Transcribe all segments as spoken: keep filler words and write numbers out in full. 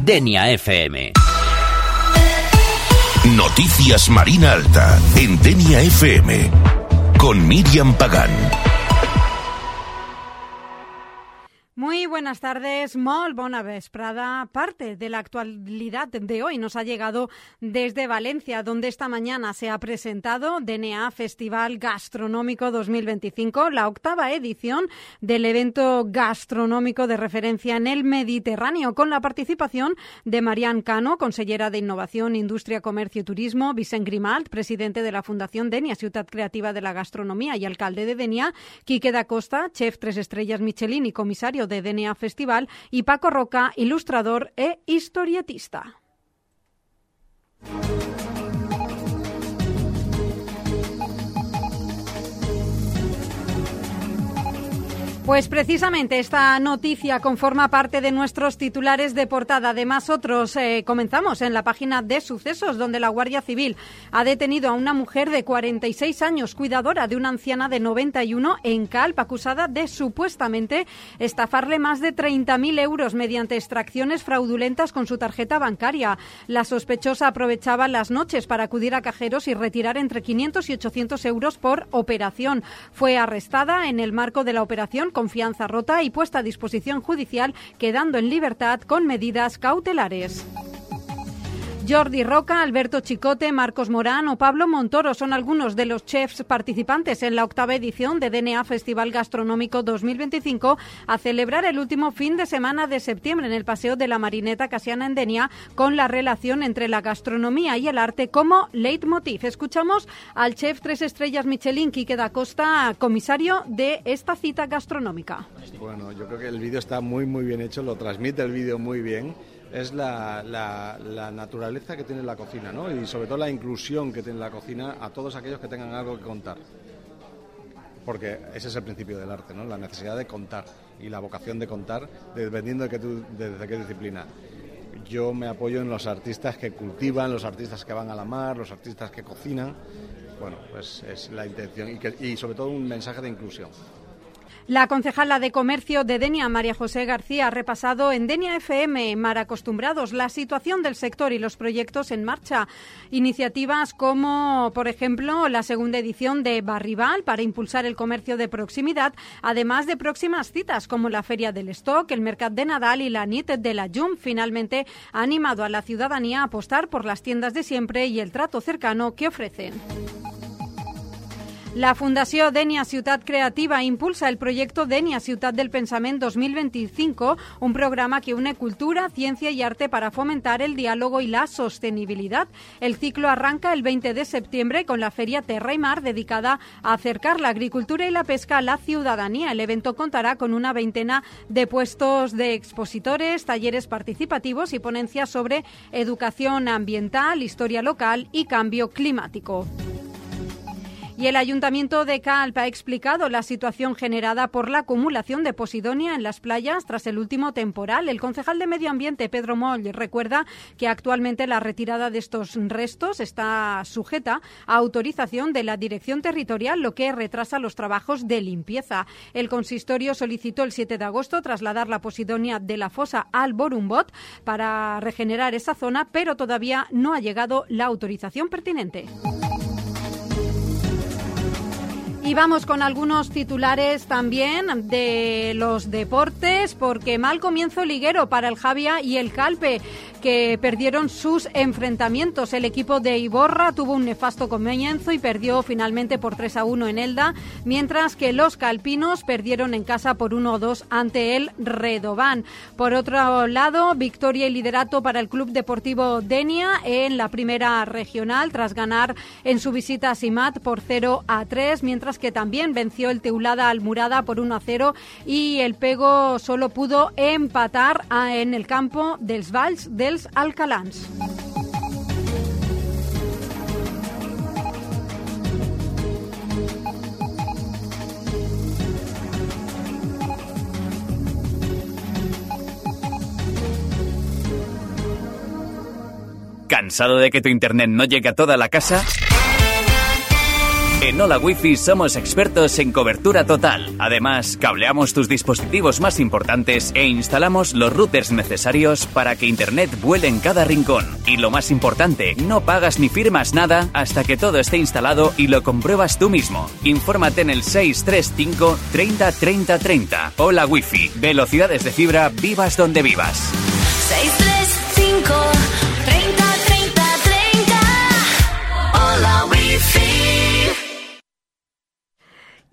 Denia F M. Noticias Marina Alta en Denia F M con Miriam Pagán. Muy buenas tardes, molt bona vesprada. Parte de la actualidad de hoy nos ha llegado desde Valencia, donde esta mañana se ha presentado D N A Festival Gastronómico dos mil veinticinco, la octava edición del evento gastronómico de referencia en el Mediterráneo, con la participación de Marian Cano, consellera de Innovación, Industria, Comercio y Turismo, Vicent Grimalt, presidente de la Fundación Denia, Ciutat Creativa de la Gastronomía y alcalde de Denia, Quique da Costa, chef tres estrellas Michelin y comisario de D N A Festival, y Paco Roca, ilustrador e historietista. Pues precisamente esta noticia conforma parte de nuestros titulares de portada. Además, otros eh, comenzamos en la página de sucesos, donde la Guardia Civil ha detenido a una mujer de cuarenta y seis años, cuidadora de una anciana de noventa y uno en Calp, acusada de supuestamente estafarle más de treinta mil euros mediante extracciones fraudulentas con su tarjeta bancaria. La sospechosa aprovechaba las noches para acudir a cajeros y retirar entre quinientos y ochocientos euros por operación. Fue arrestada en el marco de la operación Confianza Rota y puesta a disposición judicial, quedando en libertad con medidas cautelares. Jordi Roca, Alberto Chicote, Marcos Morán o Pablo Montoro son algunos de los chefs participantes en la octava edición de D N A Festival Gastronómico dos mil veinticinco, a celebrar el último fin de semana de septiembre en el Paseo de la Marineta Casiana en Denia, con la relación entre la gastronomía y el arte como leitmotiv. Escuchamos al chef tres estrellas Michelin, Quique da Costa, comisario de esta cita gastronómica. Bueno, yo creo que el vídeo está muy muy bien hecho, lo transmite el vídeo muy bien. Es la, la, la naturaleza que tiene la cocina, ¿no? Y sobre todo la inclusión que tiene la cocina a todos aquellos que tengan algo que contar. Porque ese es el principio del arte, ¿no? La necesidad de contar y la vocación de contar, dependiendo de, que tú, de, de qué disciplina. Yo me apoyo en los artistas que cultivan, los artistas que van a la mar, los artistas que cocinan. Bueno, pues es la intención y, que, y sobre todo un mensaje de inclusión. La concejala de Comercio de Denia, María José García, ha repasado en Denia F M, Mar Acostumbrados, la situación del sector y los proyectos en marcha. Iniciativas como, por ejemplo, la segunda edición de Barrival para impulsar el comercio de proximidad, además de próximas citas como la Feria del Stock, el Mercat de Nadal y la Nit de la Llum. Finalmente, ha animado a la ciudadanía a apostar por las tiendas de siempre y el trato cercano que ofrecen. La Fundació Denia Ciutat Creativa impulsa el proyecto Denia Ciutat del Pensament dos mil veinticinco, un programa que une cultura, ciencia y arte para fomentar el diálogo y la sostenibilidad. El ciclo arranca el veinte de septiembre con la Feria Terra y Mar, dedicada a acercar la agricultura y la pesca a la ciudadanía. El evento contará con una veintena de puestos de expositores, talleres participativos y ponencias sobre educación ambiental, historia local y cambio climático. Y el Ayuntamiento de Calp ha explicado la situación generada por la acumulación de posidonia en las playas tras el último temporal. El concejal de Medio Ambiente, Pedro Moll, recuerda que actualmente la retirada de estos restos está sujeta a autorización de la Dirección Territorial, lo que retrasa los trabajos de limpieza. El consistorio solicitó el siete de agosto trasladar la posidonia de la fosa al Borumbot para regenerar esa zona, pero todavía no ha llegado la autorización pertinente. Y vamos con algunos titulares también de los deportes, porque mal comienzo liguero para el Javia y el Calpe, que perdieron sus enfrentamientos. El equipo de Iborra tuvo un nefasto comienzo y perdió finalmente por tres a uno en Elda, mientras que los calpinos perdieron en casa por uno a dos ante el Redován. Por otro lado, victoria y liderato para el Club Deportivo Denia en la primera regional, tras ganar en su visita a Simat por cero a tres, mientras que también venció el Teulada Almurada por uno a cero y el Pego solo pudo empatar en el campo dels Valls dels Alcalans. ¿Cansado de que tu internet no llegue a toda la casa? En Hola Wi-Fi somos expertos en cobertura total. Además, cableamos tus dispositivos más importantes e instalamos los routers necesarios para que Internet vuele en cada rincón. Y lo más importante, no pagas ni firmas nada hasta que todo esté instalado y lo compruebas tú mismo. Infórmate en el seis tres cinco treinta treinta treinta. Hola Wi-Fi. Velocidades de fibra, vivas donde vivas. seis tres cinco treinta treinta treinta. Hola Wi-Fi.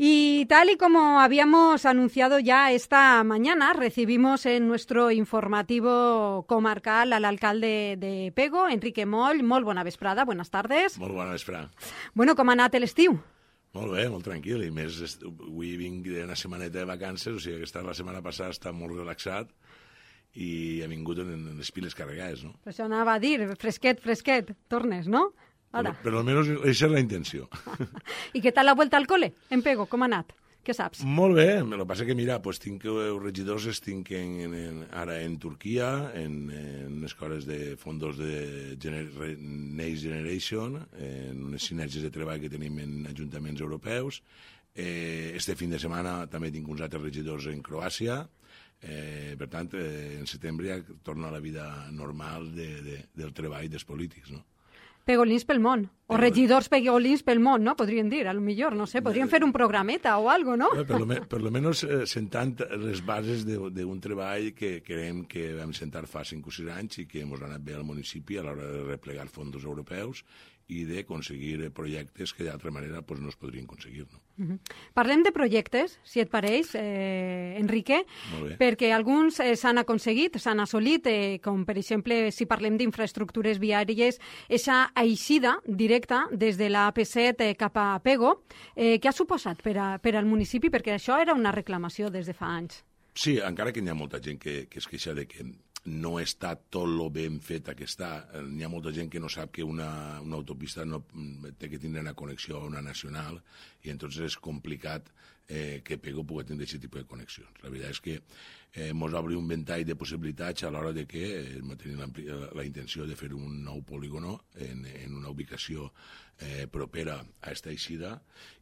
Y tal y como habíamos anunciado ya esta mañana, recibimos en nuestro informativo comarcal al alcalde de Pego, Enrique Moll. Molt bona vesprada, buenas tardes. Molt bona vesprada. Bueno, com ha anat l'estiu? Molt bé, molt tranquil. I més, avui vinc d'una setmaneta de vacances, o sigui que esta, la setmana passada està molt relaxat i he vingut en, en les piles carregades, no? Això anava a dir, fresquet, fresquet, tornes, no? Però, però almenys això és la intenció. I què tal la vuelta al cole, en Pego? Com ha anat? Què saps? Molt bé, el que passa que, mira, pues, tinc els regidors estic en, en, en, ara en Turquia, en, en unes coses de fondos de gener, Next Generation, en unes sinergies de treball que tenim en ajuntaments europeus. Eh, este fin de setmana també tinc uns altres regidors en Croàcia. Eh, per tant, eh, en setembre ja torna a la vida normal de, de, del treball dels polítics, no? Pegolins pel món, o regidors pegolins pel món, no? Podrien dir, a lo millor, no sé, podrien fer un programeta o algo, no? Per lo, me, per lo menos eh, sentant les bases d'un treball que creiem que vam sentar fa cinc o sis anys i que ens ha anat bé al municipi a l'hora de replegar fons europeus i d'aconseguir projectes que d'altra manera pues, no es podrien aconseguir. No? Uh-huh. Parlem de projectes, si et pareix, eh, Enrique, perquè alguns eh, s'han aconseguit, s'han assolit, eh, com per exemple, si parlem d'infraestructures viàries, aquesta eixida directa des de la A P set eh, cap a Pego, eh, què ha suposat per, a, per al municipi? Perquè això era una reclamació des de fa anys. Sí, encara que hi ha molta gent que, que es queixa de que no està tot lo ben feta que està. Hi ha molta gent que no sap que una, una autopista no té que tindre una connexió a una nacional i entonces és complicat eh, que Pego pugui tindre aquest tipus de connexions. La veritat és que eh, mos obre un ventall de possibilitats a l'hora de que eh, tenim la, la intenció de fer un nou polígono en, en una ubicació eh, propera a esta eixida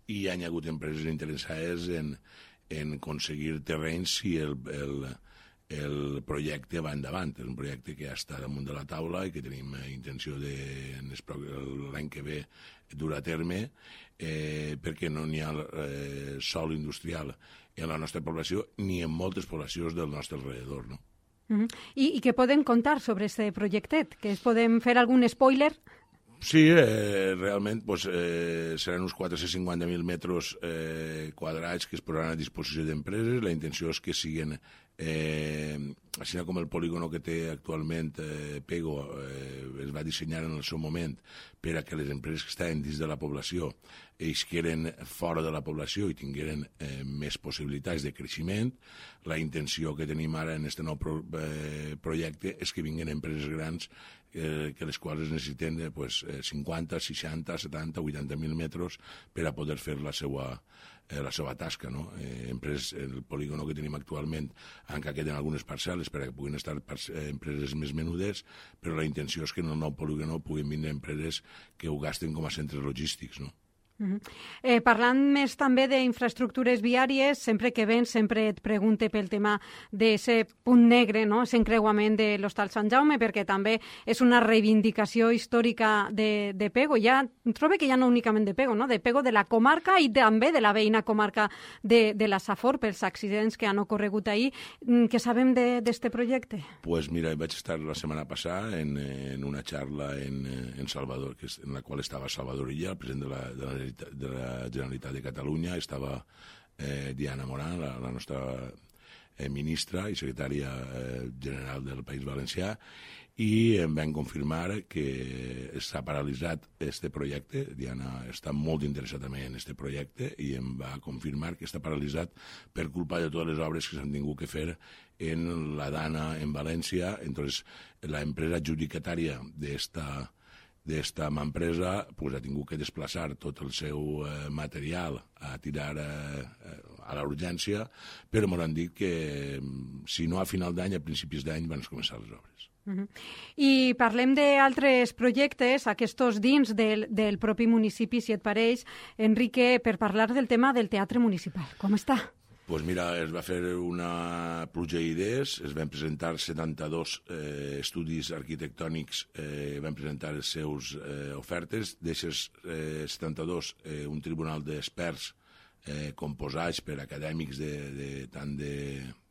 i hi ha hagut empreses interessades en, en aconseguir terrenys si el, el el projecte va endavant. És un projecte que ja està damunt de la taula i que tenim intenció de l'any que ve dur a terme eh, perquè no n'hi ha eh, sòl industrial en la nostra població ni en moltes poblacions del nostre alrededor, no? Uh-huh. I, I què podem contar sobre aquest projectet? Que es podem fer algun spoiler? Sí, eh, realment pues, eh, seran uns quatre-cents cinquanta mil metres eh, quadrats que es posaran a disposició d'empreses. La intenció és que siguin, eh, així com el polígono que té actualment eh, Pego, eh, es va dissenyar en el seu moment per a que les empreses que estaven dins de la població isqueren fora de la població i tingueren eh, més possibilitats de creixement. La intenció que tenim ara en aquest nou pro, eh, projecte és que vinguin empreses grans eh, que les quals necessiten eh, pues, cinquanta, seixanta, setanta, vuitanta mil metres per a poder fer la seva, eh, la seva tasca. No? Eh, empreses, el polígono que tenim actualment encara queden algunes parcel·les per a que puguin estar eh, empreses més menudes, però la intenció és que en el nou polígono puguin vindre empreses que ho gasten com a centres logístics, no? Uh-huh. eh, parlant més també d'infraestructures viàries, sempre que vens sempre et pregunte pel tema d'aquest punt negre, no? Aquest encreuament de l'Hostal Sant Jaume, perquè també és una reivindicació històrica de, de Pego. Ja trobo que ja no únicament de Pego, no? De Pego, de la comarca i també de la veïna comarca de, de la Safor pels accidents que han ocorregut ahir. Què sabem d'aquest projecte? Pues mira, vaig estar la setmana passada en, en una xarra en, en Salvador, que és, en la qual estava Salvador Illa, el president de la, de la de la Generalitat de Catalunya, estava eh, Diana Morán, la, la nostra eh, ministra i secretària eh, general del País Valencià, i em van confirmar que s'ha paralitzat este projecte. Diana està molt interessada també en este projecte i em va confirmar que està paralitzat per culpa de totes les obres que s'han tingut que fer en la Dana en València. Entonces, la empresa adjudicatària d'esta d'esta empresa pues, ha tingut que desplaçar tot el seu eh, material a tirar eh, a la urgència, però m'han dit que si no a final d'any, a principis d'any van començar les obres. Uh-huh. I parlem d'altres projectes, aquests dins del, del propi municipi, si et pareix, Enrique, per parlar del tema del teatre municipal. Com està? Pues mira, es va fer una pluja d'idees, es van presentar setanta-dos eh, estudis arquitectònics, eh, van presentar les seus eh, ofertes, d'aixes eh, setanta-dos, eh, un tribunal d'experts eh, composats per acadèmics de, de, tant de,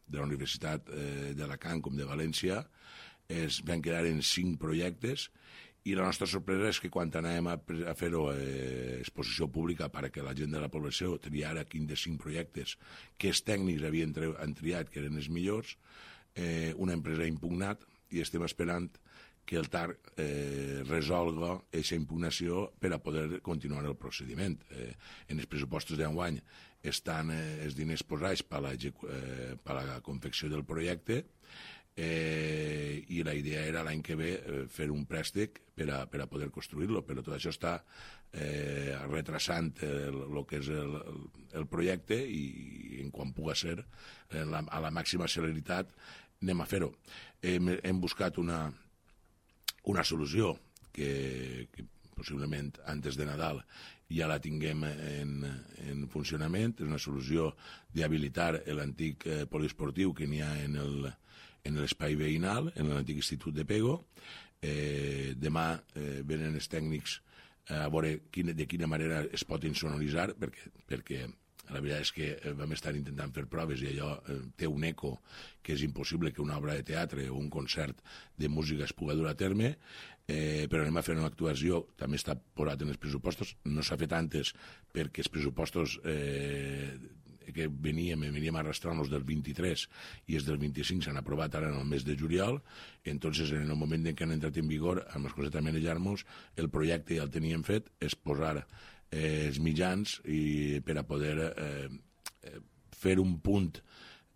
de la Universitat eh, d'Alacant com de València, es van quedar en cinc projectes, i la nostra sorpresa és que quan anàvem a, a fer-ho eh, exposició pública perquè la gent de la població triara quin de cinc projectes que els tècnics havien tri han triat, que eren els millors, eh, una empresa ha impugnat i estem esperant que el T A R eh, resolga aquesta impugnació per a poder continuar el procediment. Eh, en els pressupostos d'enguany estan eh, els diners posats per a la, eh, per a la confecció del projecte, Eh, i la idea era l'any que ve eh, fer un préstec per a, per a poder construir-lo, però tot això està eh, retrasant el, el que és el, el projecte i, i en quan puga ser eh, la, a la màxima celeritat anem a fer-ho. Hem, hem buscat una, una solució que, que possiblement antes de Nadal ja la tinguem en, en funcionament. És una solució d'habilitar l'antic eh, poliesportiu que n'hi ha en el en l'espai veïnal, en l'antic Institut de Pego. Eh, demà eh, venen els tècnics a veure quina, de quina manera es pot insonoritzar, perquè, perquè la veritat és que vam estar intentant fer proves i allò eh, té un eco que és impossible que una obra de teatre o un concert de música es pugui dur a terme, eh, però anem a fer una actuació, també està posat en els pressupostos, no s'ha fet antes perquè els pressupostos eh, que veníem, veníem arrastrant-nos del vint-i-tres i els del vint-i-cinc s'han aprovat ara en el mes de juliol. Entonces, en el moment en què han entrat en vigor, amb les coses de manejar-nos, el projecte ja el teníem fet, és posar eh, els mitjans i per a poder eh, fer un punt,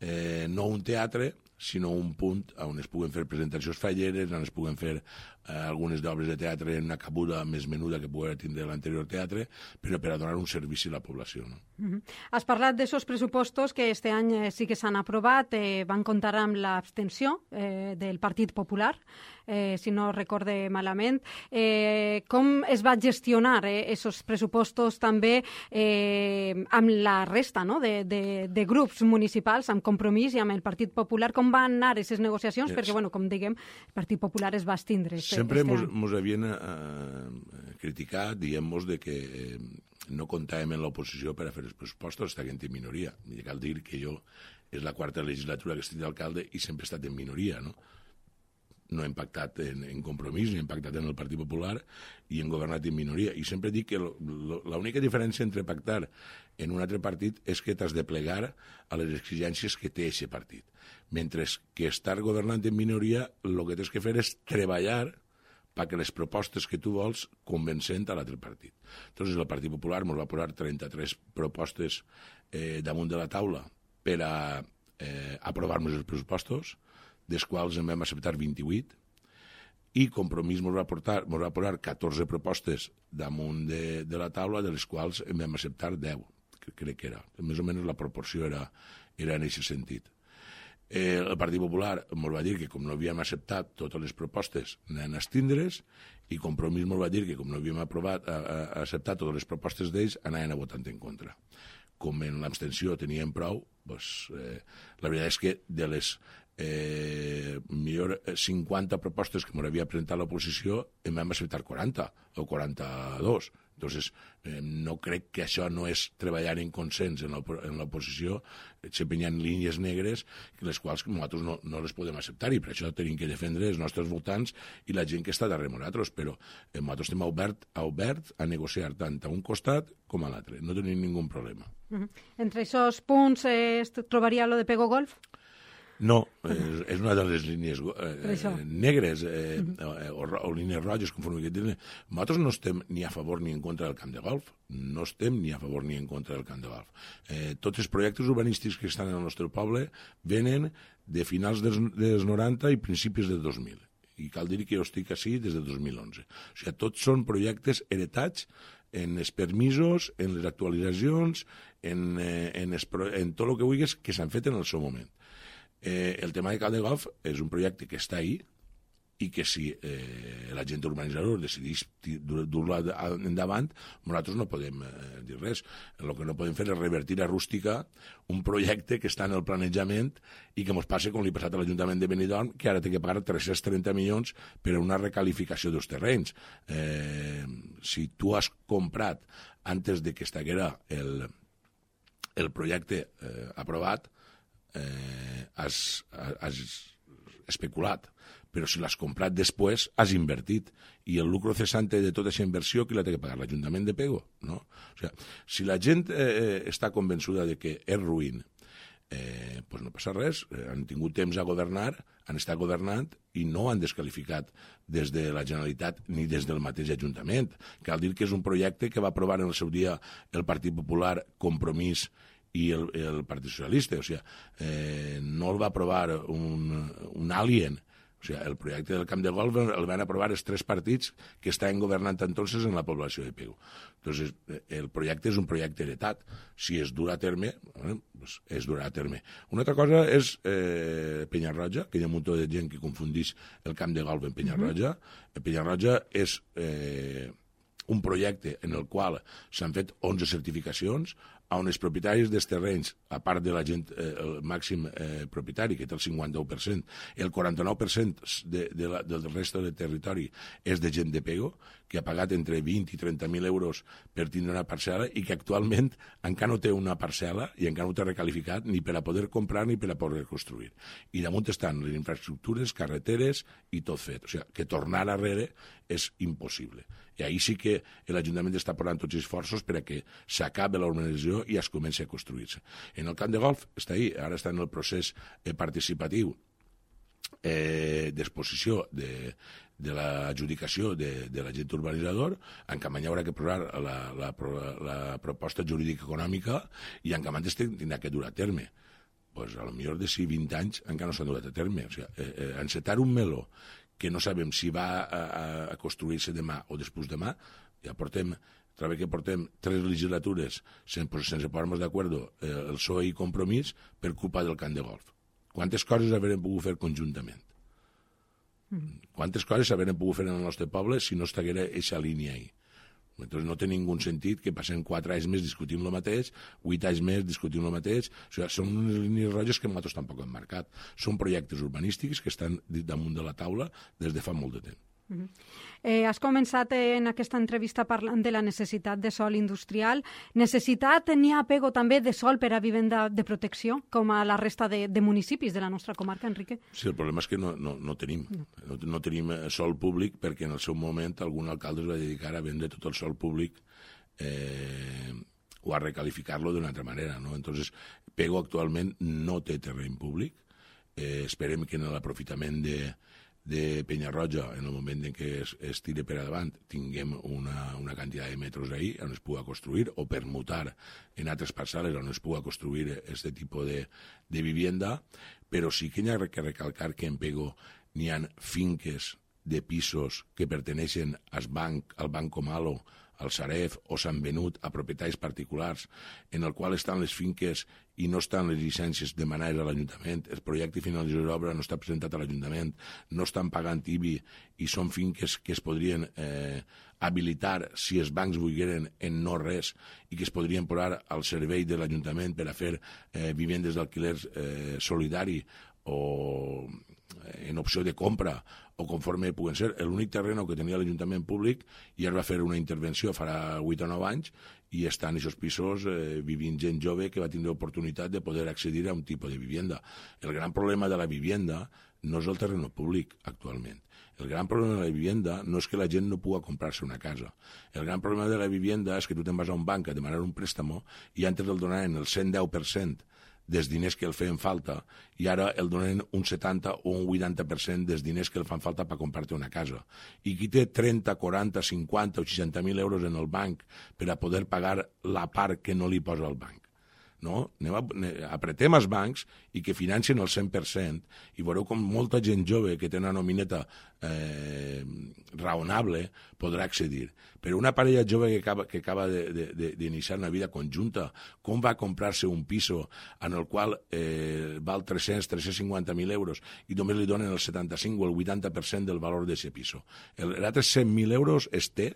eh, no un teatre, sinó un punt on es puguen fer presentacions falleres, on es puguen fer eh, algunes d'obres de teatre en una cabuda més menuda que pugui tindre l'anterior teatre, però per a donar un servici a la població. No? Mm-hmm. Has parlat d'aixòs pressupostos que este any eh, sí que s'han aprovat, eh, van comptar amb l'abstenció eh, del Partit Popular, eh, si no recorde malament. Eh, com es va gestionar aquests eh, pressupostos també eh, amb la resta, no?, de, de, de grups municipals, amb Compromís i amb el Partit Popular? Com van anar aquestes negociacions? Yes. Perquè, bueno, com diguem, el Partit Popular es va estindre. Este, Sempre este mos, mos havien eh, criticat, diguem-nos, de que eh, no comptàvem en l'oposició per a fer els pressupostos, estàvem en minoria. I cal dir que jo és la quarta legislatura que estic d'alcalde i sempre he estat en minoria, no? No hem pactat en, en Compromís, ni hem pactat en el Partit Popular i hem governat en minoria. I sempre dic que l'única diferència entre pactar en un altre partit és que t'has de plegar a les exigències que té aquest partit. Mentre que estar governant en minoria, el que tens que fer és treballar perquè les propostes que tu vols convencent a l'altre partit. Entonces, el Partit Popular ens va posar trenta-tres propostes eh, damunt de la taula per a eh, aprovar-nos els pressupostos, dels quals en vam acceptar vint-i-vuit, i Compromís ens va, portar, ens va posar catorze propostes damunt de, de la taula, de les quals en vam acceptar deu, que crec que era. Més o menys la proporció era, era en aquest sentit. Eh, el Partit Popular ens va dir que com no havíem acceptat totes les propostes anaven a estindre's, i Compromís ens va dir que com no havíem aprovat, a, a, a acceptat totes les propostes d'ells, anaven a votar en contra. Com en l'abstenció teníem prou, doncs, eh, la veritat és que de les eh, millor cinquanta propostes que m'havia presentat l'oposició en vam acceptar quaranta o quaranta-dos. Entonces, eh, no crec que això no és treballar en consens en l'oposició. Sempre hi ha línies negres les quals nosaltres no, no les podem acceptar i per això tenim que defendre els nostres votants i la gent que està darrere nosaltres, però eh, nosaltres estem obert, obert a negociar tant a un costat com a l'altre. No tenim ningú problema. Uh-huh. Entre aquests punts eh, es trobaria lo de Pego Golf? No, és, és una de les línies eh, negres eh, eh, o, o línies roges, conforme que tenen. Nosaltres no estem ni a favor ni en contra del camp de golf, no estem ni a favor ni en contra del camp de golf. Eh, tots els projectes urbanístics que estan en el nostre poble venen de finals dels, dels noranta i principis del dos mil. I cal dir que jo estic així des del dos mil onze. O sigui, tots són projectes heretats en els permisos, en les actualitzacions, en, eh, en, es, en tot el que vulguis que s'han fet en el seu moment. Eh, el tema de Camp de Golf és un projecte que està ahí, i que si eh, l'agent urbanitzador decideix dur-lo endavant, nosaltres no podem eh, dir res. El que no podem fer és revertir a rústica un projecte que està en el planejament i que ens passa com li ha passat a l'Ajuntament de Benidorm, que ara té que pagar tres-cents trenta milions per a una recalificació dels terrenys. Eh, si tu has comprat antes de que estaguera el, el projecte eh, aprovat, eh, has, has especulat, però si l'has comprat després, has invertit. I el lucro cesante de tota aquesta inversió, qui la té que pagar? L'Ajuntament de Pego? No? O sigui, si la gent eh, està convençuda de que és ruïn, eh, pues no passa res. Eh, han tingut temps a governar, han estat governant i no han descalificat des de la Generalitat ni des del mateix Ajuntament. Cal dir que és un projecte que va aprovar en el seu dia el Partit Popular, Compromís i el, el Partit Socialista. O sigui, eh, no el va aprovar un, un alien. O sigui, el projecte del camp de golf el van aprovar els tres partits que estaven governant entonces en la població de Pego. Entonces, el projecte és un projecte heretat. Si es durà a terme, eh, pues es durà a terme. Una altra cosa és eh, Penyarroja, que hi ha un munt de gent que confundeix el camp de golf en Penyarroja. Uh-huh. Penyarroja és eh, un projecte en el qual s'han fet onze certificacions, on els propietaris dels terrenys, a part de la gent, eh, el màxim eh, propietari, que té el cinquanta-u per cent, el quaranta-nou per cent de, de la, del resto del territori és de gent de Pego, que ha pagat entre vint i trenta mil euros per tindre una parcel·la i que actualment encara no té una parcel·la i encara no té recalificat ni per a poder comprar ni per a poder construir. I damunt estan les infraestructures, carreteres i tot fet. O sigui, que tornar arrere és impossible. I ahí sí que l'Ajuntament està posant tots els esforços per a que s'acabi la urbanització i es comenci a construir-se. En el camp de golf està ahí, ara està en el procés eh, participatiu eh, d'exposició de, de l'adjudicació de, de l'agent urbanitzador. En Camanya haurà que posar la, la, la, la proposta jurídica econòmica i en Camanya tindrà que dur a terme. Pues, a lo millor de si vint anys encara no s'han durat a terme. O sigui, eh, eh, encetar un meló que no sabem si va a, a construir-se demà o després demà, ja portem, trobo que portem tres legislatures sense, sense posar-nos d'acord eh, el P S O E i Compromís per culpa del camp de golf. Quantes coses haurem pogut fer conjuntament? Mm. Quantes coses haurem pogut fer en el nostre poble si no estiguera aquesta línia ahí? Entonces no té ningú sentit que passem quatre anys més discutint el mateix, vuit anys més discutint el mateix. O sigui, són unes línies roges que nosaltres tampoc hem marcat. Són projectes urbanístics que estan damunt de la taula des de fa molt de temps. Uh-huh. Eh, has començat en aquesta entrevista parlant de la necessitat de sòl industrial. Necessitat n'hi ha a Pego també de sòl per a vivenda de protecció, com a la resta de, de municipis de la nostra comarca, Enrique? Sí, el problema és que no, no, no tenim. No. No, no tenim sòl públic perquè en el seu moment algun alcalde es va dedicar a vendre tot el sòl públic eh, o a recalificar-lo d'una altra manera, no? Entonces, Pego actualment no té terreny públic. Eh, esperem que en l'aprofitament de de Penyarroja, en el moment en què es, es tire per davant, tinguem una, una quantitat de metres ahí on es pugui construir o permutar en altres parcel·les on es pugui construir aquest tipus de, de vivienda, però sí que hi ha que recalcar que en Pego n'hi ha finques de pisos que perteneixen al banc, al Banco Malo, al Sareb o s'han venut a propietaris particulars en el qual estan les finques i no estan les llicències demanades a l'Ajuntament, el projecte finalització d'obra no està presentat a l'Ajuntament, no estan pagant I B I i són finques que es podrien eh, habilitar si els bancs volgueren en no res i que es podrien posar al servei de l'Ajuntament per a fer eh, vivendes d'alquiler eh, solidari o en opció de compra o conforme puguen ser. L'únic terreny que tenia l'Ajuntament públic i es va fer una intervenció farà vuit o nou anys i estan en aquests pisos eh, vivint gent jove que va tindre oportunitat de poder accedir a un tipus de vivienda. El gran problema de la vivienda no és el terreny públic actualment. El gran problema de la vivienda no és que la gent no pugui comprar-se una casa. El gran problema de la vivienda és que tu te'n vas a un banc a demanar un préstamo i antes el donaven el cent deu per cent dels diners que el feien falta i ara el donen un setanta o un vuitanta per cent dels diners que el fan falta per comprar-te una casa. I qui té trenta, quaranta, cinquanta o seixanta mil euros en el banc per a poder pagar la part que no li posa el banc? no? Anem a, apretem els bancs i que financien el cent per cent i veureu com molta gent jove que té una nomineta eh, raonable podrà accedir. Però una parella jove que acaba, que acaba d'iniciar una vida conjunta, com va comprar-se un piso en el qual eh, val tres-cents, tres-cents cinquanta mil euros i només li donen el setanta-cinc o el vuitanta per cent del valor d'aquest piso? L'altre cent mil euros es té,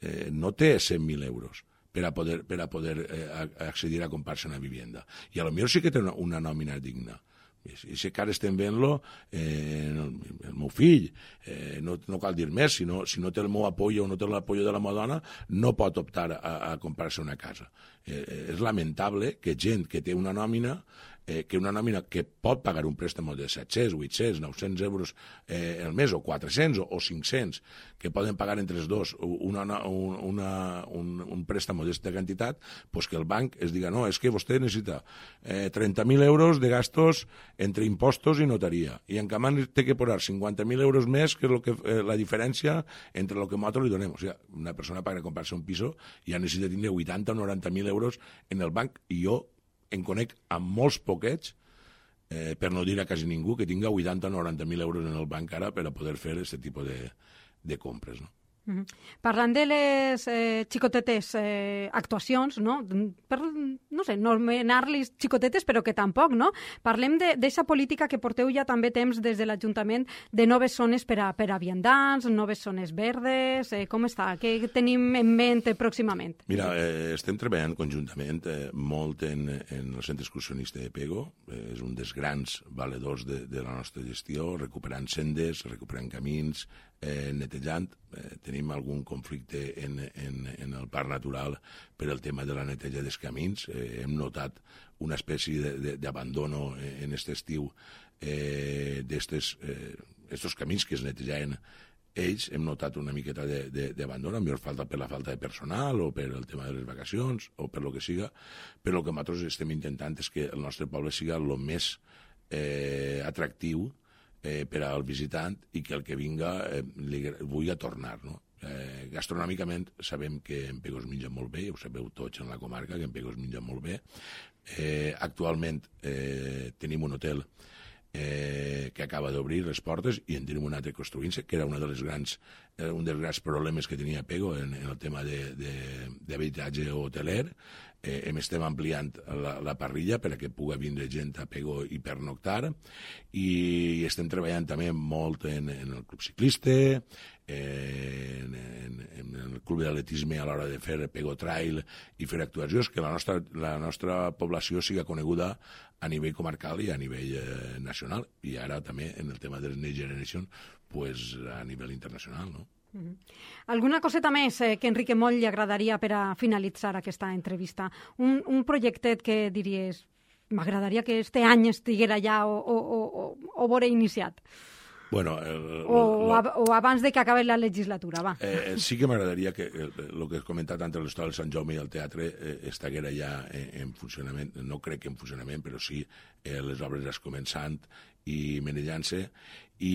eh, no té cent mil euros per a poder, per a poder eh, accedir a comprar-se una vivienda. I a lo millor sí que té una, una nòmina digna. I si que ara estem veient-lo, eh, el, el meu fill, eh, no, no cal dir més, si no, si no té el meu apoyo o no té l'apoyo de la meva dona, no pot optar a, a comprar-se una casa. Eh, és lamentable que gent que té una nòmina, eh, que una nòmina que pot pagar un préstec de set-cents, vuit-cents, nou-cents euros eh, al mes, o quatre-cents o, o cinc-cents, que poden pagar entre els dos una, una, una, un, un préstec d'esta quantitat, pues que el banc es diga, no, és que vostè necessita eh, trenta mil euros de gastos entre impostos i notaria, i en canvi té que posar cinquanta mil euros més, que és lo que, eh, la diferència entre el que nosaltres li donem. O sigui, una persona per comprar-se un piso ja necessita tindre vuitanta o noranta mil euros en el banc, i jo en conec a molts poquets, eh, per no dir a quasi ningú, que tinga vuitanta o noranta mil euros en el banc ara per a poder fer aquest tipus de, de compres, no? Mm-hmm. Parlant de les eh, xicotetes eh, actuacions, no? Per, no sé, no anomenar-les xicotetes, però que tampoc, no? Parlem d'aquesta política que porteu ja també temps des de l'Ajuntament de noves zones per a, per a viandants, noves zones verdes, eh, com està? Què tenim en ment pròximament? Mira, eh, estem treballant conjuntament eh, molt en, en el centre excursionista de Pego, eh, és un dels grans valedors de, de la nostra gestió, recuperant sendes, recuperant camins, eh, netejant. Eh, tenim algun conflicte en, en, en el parc natural per el tema de la neteja dels camins. Eh, hem notat una espècie d'abandono en aquest estiu eh, d'estos eh, camins que es netejaven ells. Hem notat una miqueta d'abandono, millor falta per la falta de personal o per el tema de les vacacions o per lo que siga, però el que nosaltres estem intentant és que el nostre poble siga el més eh, atractiu Eh, per al visitant i que el que vinga eh, li vulgui tornar, no? Eh, gastronòmicament sabem que en Pego es menja molt bé, ho sabeu tots en la comarca, que en Pego es menja molt bé. Eh, actualment eh, tenim un hotel eh, que acaba d'obrir les portes i en tenim un altre construint-se, que era una de les grans, eh, un dels grans problemes que tenia Pego en, en el tema d'habitatge hoteler. Eh, hem estem ampliant la, la parrilla per a que pugui vindre gent a Pego i pernoctar, i estem treballant també molt en, en el club ciclista, eh, en, en, en el club d'atletisme a l'hora de fer Pego Trail i fer actuacions, que la nostra, la nostra població siga coneguda a nivell comarcal i a nivell eh, nacional, i ara també en el tema de les Next Generation pues, a nivell internacional, no? Uh-huh. Alguna coseta més eh, que Enrique Moll li agradaria per a finalitzar aquesta entrevista? Un, un projectet que diries m'agradaria que este any estiguera ja o, o, o, o vore iniciat? Bueno, el, o, lo, ab o abans de que acabi la legislatura, va. Eh, sí que m'agradaria que el que has comentat entre l'Hostal de Sant Jaume i el teatre eh, estaguera ja en, en funcionament, no crec que en funcionament, però sí eh, les obres ja començant i menellant-se, i,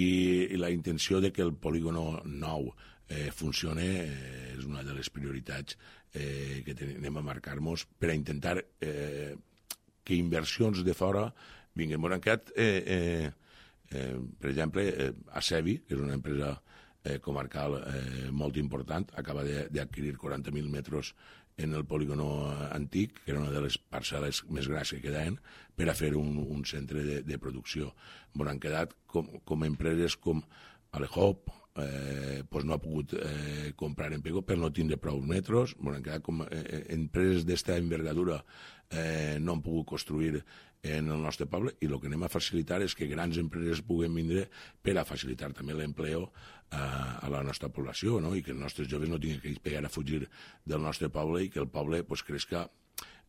i la intenció de que el polígono nou eh, funcione eh, és una de les prioritats eh, que anem a marcar-nos per a intentar eh, que inversions de fora vinguin. Bueno, han quedat, eh, eh, eh, per exemple, eh, Acevi, que és una empresa eh, comarcal eh, molt important, acaba d'adquirir quaranta mil metres en el polígono antic, que era una de les parcel·les més grans que quedaven, per a fer un, un centre de, de producció. Bueno, han quedat com, com empreses com Alehop, eh, pues no ha pogut eh, comprar en Pego per no tindre prou metros. Bueno, han quedat com eh, empreses d'esta envergadura eh, no han pogut construir en el nostre poble, i el que anem a facilitar és que grans empreses puguen vindre per a facilitar també l'empleo a, a la nostra població, no? I que els nostres joves no tinguin que pegar a fugir del nostre poble i que el poble pues, crezca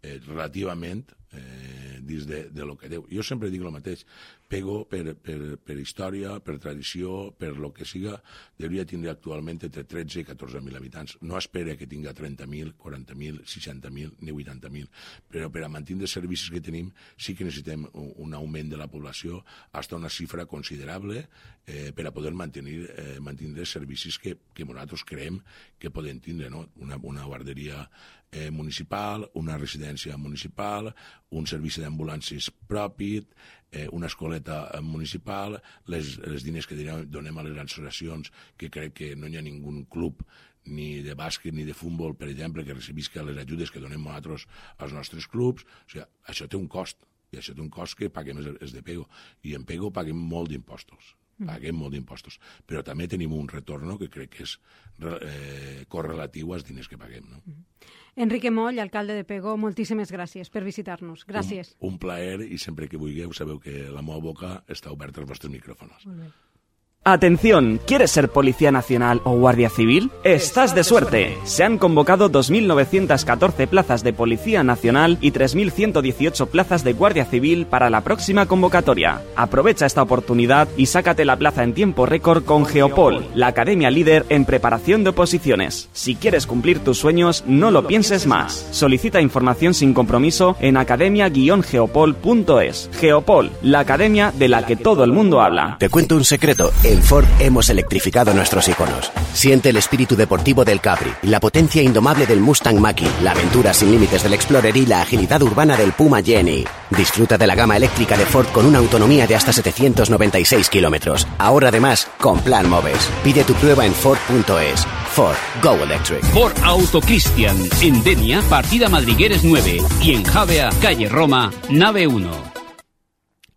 eh, relativament eh, dins de, de lo que deu. Jo sempre dic el mateix, Pego per, per, per història, per tradició, per lo que siga, hauria tindre actualment entre tretze i catorze mil habitants. No espera que tinga trenta mil, quaranta mil, seixanta mil ni vuitanta mil, però per a mantenir els servicis que tenim sí que necessitem un, un augment de la població fins a una xifra considerable eh, per a poder mantenir, eh, mantenir els servicis que, que nosaltres creiem que podem tindre, no? Una, una guarderia eh, municipal, una residència residència municipal, un servici d'ambulàncies propi, eh, una escoleta municipal, les, les diners que donem a les associacions, que crec que no hi ha ningú club ni de bàsquet ni de futbol, per exemple, que recibisca les ajudes que donem nosaltres als nostres clubs. O sigui, això té un cost, i això té un cost que paguem els de Pego, i en Pego paguem molt d'impostos. Paguem molt d'impostos, però també tenim un retorn que crec que és eh, correlatiu als diners que paguem. No? Enrique Moll, alcalde de Pego, moltíssimes gràcies per visitar-nos. Gràcies. Un, un plaer, i sempre que vulgueu sabeu que la meva boca està oberta als vostres micròfons. Molt bé. Atención, ¿quieres ser Policía Nacional o Guardia Civil? Estás de suerte. Se han convocado dos mil novecientas catorce plazas de Policía Nacional y tres mil ciento dieciocho plazas de Guardia Civil para la próxima convocatoria. Aprovecha esta oportunidad y sácate la plaza en tiempo récord con Geopol, la academia líder en preparación de oposiciones. Si quieres cumplir tus sueños, no lo pienses más. Solicita información sin compromiso en academia guion geopol punto es. Geopol, la academia de la que todo el mundo habla. Te cuento un secreto. En Ford hemos electrificado nuestros iconos. Siente el espíritu deportivo del Capri, la potencia indomable del Mustang Mach-E, la aventura sin límites del Explorer y la agilidad urbana del Puma Jenny. Disfruta de la gama eléctrica de Ford con una autonomía de hasta setecientos noventa y seis kilómetros. Ahora además, con Plan Moves. Pide tu prueba en Ford punto es. Ford, Go Electric. Ford Auto Cristian, en Denia, partida Madrigueres nueve, y en Javea, calle Roma, nave uno.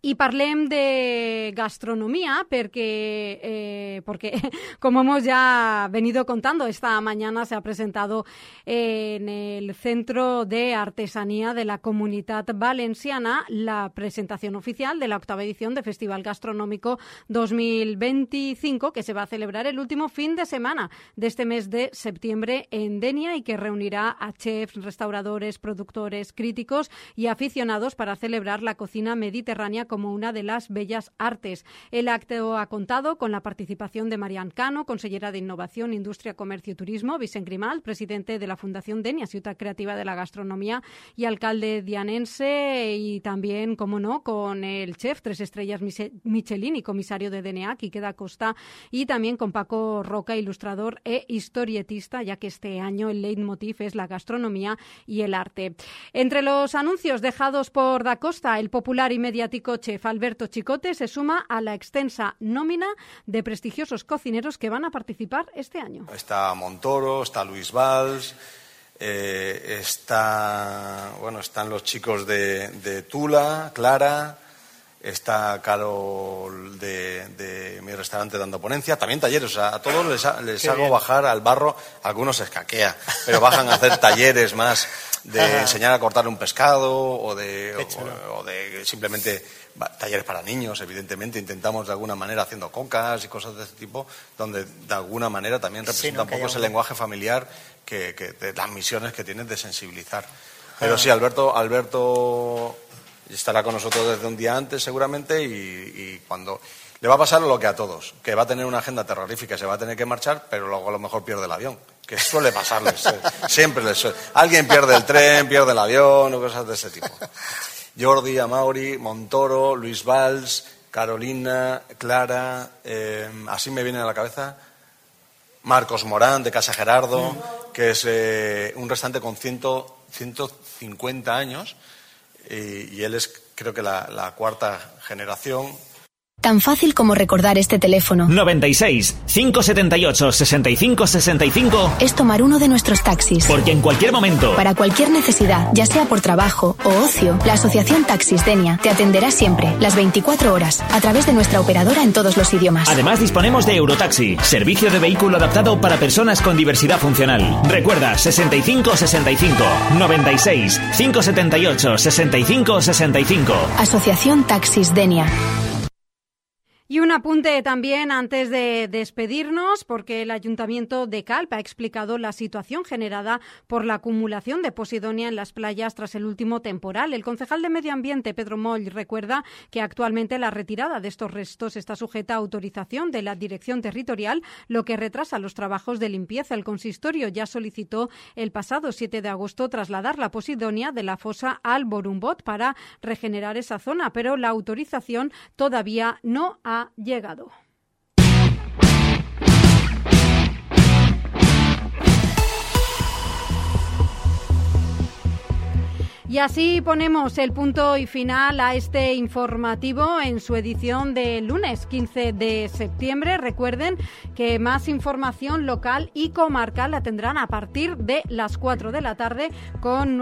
Y parlem de gastronomía porque, eh, porque, como hemos ya venido contando, esta mañana se ha presentado en el Centro de Artesanía de la Comunitat Valenciana la presentación oficial de la octava edición de Festival Gastronómico dos mil veinticinco, que se va a celebrar el último fin de semana de este mes de septiembre en Denia y que reunirá a chefs, restauradores, productores, críticos y aficionados para celebrar la cocina mediterránea como una de las bellas artes. El acto ha contado con la participación de Marian Cano, consellera de Innovación, Industria, Comercio y Turismo, Vicent Grimal, presidente de la Fundación Denia, Ciutat Creativa de la Gastronomía y alcalde dianense, y también, como no, con el chef tres estrellas Michelin y comisario de D N A, Quique da Costa, y también con Paco Roca, ilustrador e historietista, ya que este año el leitmotiv es la gastronomía y el arte. Entre los anuncios dejados por da Costa, el popular y mediático chef Alberto Chicote se suma a la extensa nómina de prestigiosos cocineros que van a participar este año. Está Montoro, está Luis Valls, eh, está, bueno, están los chicos de, de Tula, Clara, está Carol de, de mi restaurante dando ponencia, también talleres, o sea, a todos les, ha, les hago bien. Bajar al barro, algunos se escaquea, pero bajan a hacer talleres más de enseñar a cortar un pescado o de, o, o de simplemente talleres para niños, evidentemente, intentamos de alguna manera haciendo cocas y cosas de este tipo, donde de alguna manera también representa sí, no, un poco ese un... lenguaje familiar que, que de las misiones que tienes de sensibilizar. Pero ah. sí, Alberto, Alberto estará con nosotros desde un día antes seguramente y, y cuando le va a pasar lo que a todos, que va a tener una agenda terrorífica, se va a tener que marchar, pero luego a lo mejor pierde el avión, que suele pasarles, siempre les suele. Alguien pierde el tren, pierde el avión o cosas de ese tipo. Jordi, Amaury, Montoro, Luis Valls, Carolina, Clara, eh, así me viene a la cabeza, Marcos Morán de Casa Gerardo, que es eh, un restaurante con ciento cincuenta años y, y él es creo que la, la cuarta generación. Tan fácil como recordar este teléfono. noventa y seis, cinco setenta y ocho, sesenta y cinco sesenta y cinco. Es tomar uno de nuestros taxis. Porque en cualquier momento, para cualquier necesidad, ya sea por trabajo o ocio, la Asociación Taxis Denia te atenderá siempre, las veinticuatro horas, a través de nuestra operadora en todos los idiomas. Además disponemos de Eurotaxi, servicio de vehículo adaptado para personas con diversidad funcional. Recuerda, sesenta y cinco sesenta y cinco, noventa y seis, cinco setenta y ocho, sesenta y cinco sesenta y cinco. Asociación Taxis Denia. Y un apunte también antes de despedirnos, porque el Ayuntamiento de Calp ha explicado la situación generada por la acumulación de posidonia en las playas tras el último temporal. El concejal de Medio Ambiente, Pedro Moll, recuerda que actualmente la retirada de estos restos está sujeta a autorización de la Dirección Territorial, lo que retrasa los trabajos de limpieza. El consistorio ya solicitó el pasado siete de agosto trasladar la posidonia de la fosa al Borumbot para regenerar esa zona, pero la autorización todavía no ha llegado. Y así ponemos el punto y final a este informativo en su edición de lunes quince de septiembre. Recuerden que más información local y comarcal la tendrán a partir de las cuatro de la tarde con